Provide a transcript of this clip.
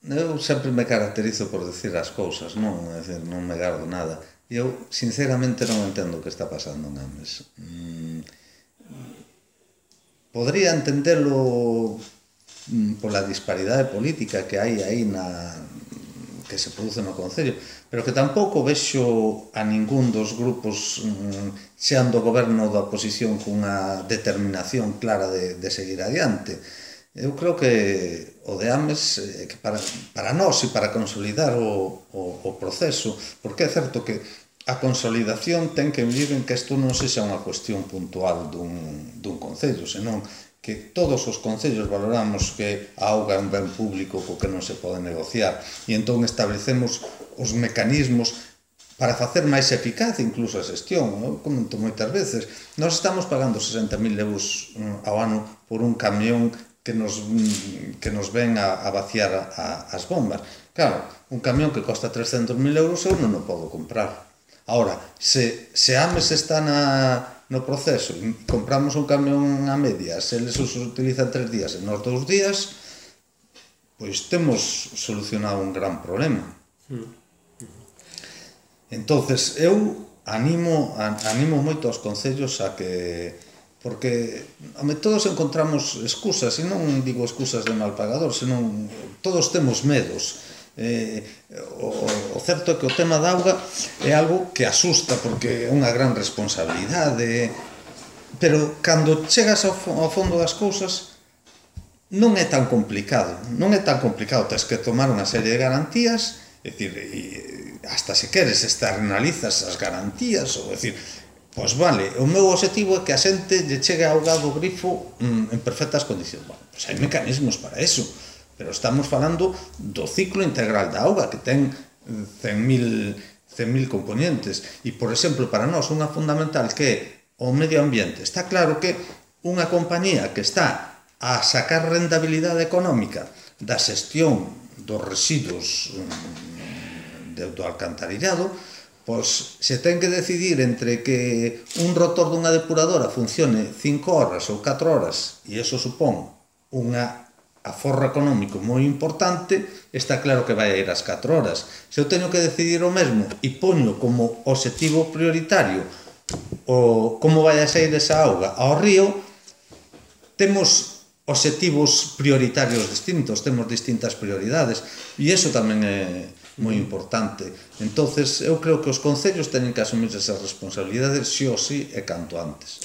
Eu sempre me caracterizo por decir as cousas, non? É dicir, non me gardo nada. E eu, sinceramente, non entendo o que está pasando en Ames. Podría entendelo pola disparidade política que hai aí que se produce no Concello, pero que tampouco vexo a ningún dos grupos xean do goberno da oposición cunha determinación clara de seguir adiante. Eu creo que o de Ames que para nós e para consolidar o proceso, porque é certo que a consolidación ten que vivir en que isto non sexa unha cuestión puntual dun concello, senón que todos os concellos valoramos que a auga é un ben público co que non se pode negociar e entón establecemos os mecanismos para facer máis eficaz incluso a xestión. Eu comento moitas veces, nós estamos pagando 60.000 euros ao ano por un camión que nos ven a vaciar as bombas. Claro, un camión que costa 300.000 euros eu non o podo comprar. Ahora, se Ames está no proceso e compramos un camión a medias, eles os utilizan 3 días e nos 2 días, pois temos solucionado un gran problema. Entonces, eu animo moito aos concellos a que, porque todos encontramos excusas, e non digo excusas de mal pagador, senón todos temos medos. O certo é que o tema da auga é algo que asusta porque é unha gran responsabilidade, pero cando chegas ao fondo das cousas non é tan complicado, tens que tomar unha serie de garantías, é dicir, hasta se queres externalizas as garantías, ou decir, pois vale, o meu objetivo é que a xente lle chegue a auga do grifo en perfectas condicións. Bueno, pois hai mecanismos para eso, pero estamos falando do ciclo integral da auga, que ten 100.000 componentes. E, por exemplo, para nós, unha fundamental que é o medio ambiente. Está claro que unha compañía que está a sacar rentabilidade económica da xestión dos residuos do alcantarillado, pois se ten que decidir entre que un rotor dunha depuradora funcione 5 horas ou 4 horas, e iso supón unha aforro económico moi importante, está claro que vai a ir ás 4 horas. Se eu teño que decidir o mesmo e poño como obxectivo prioritario como vai a sair esa auga ao río, temos obxectivos prioritarios distintos, temos distintas prioridades, e iso tamén é moi importante. Entonces, eu creo que os concellos teñen que asumir esas responsabilidades sí ou sí e canto antes.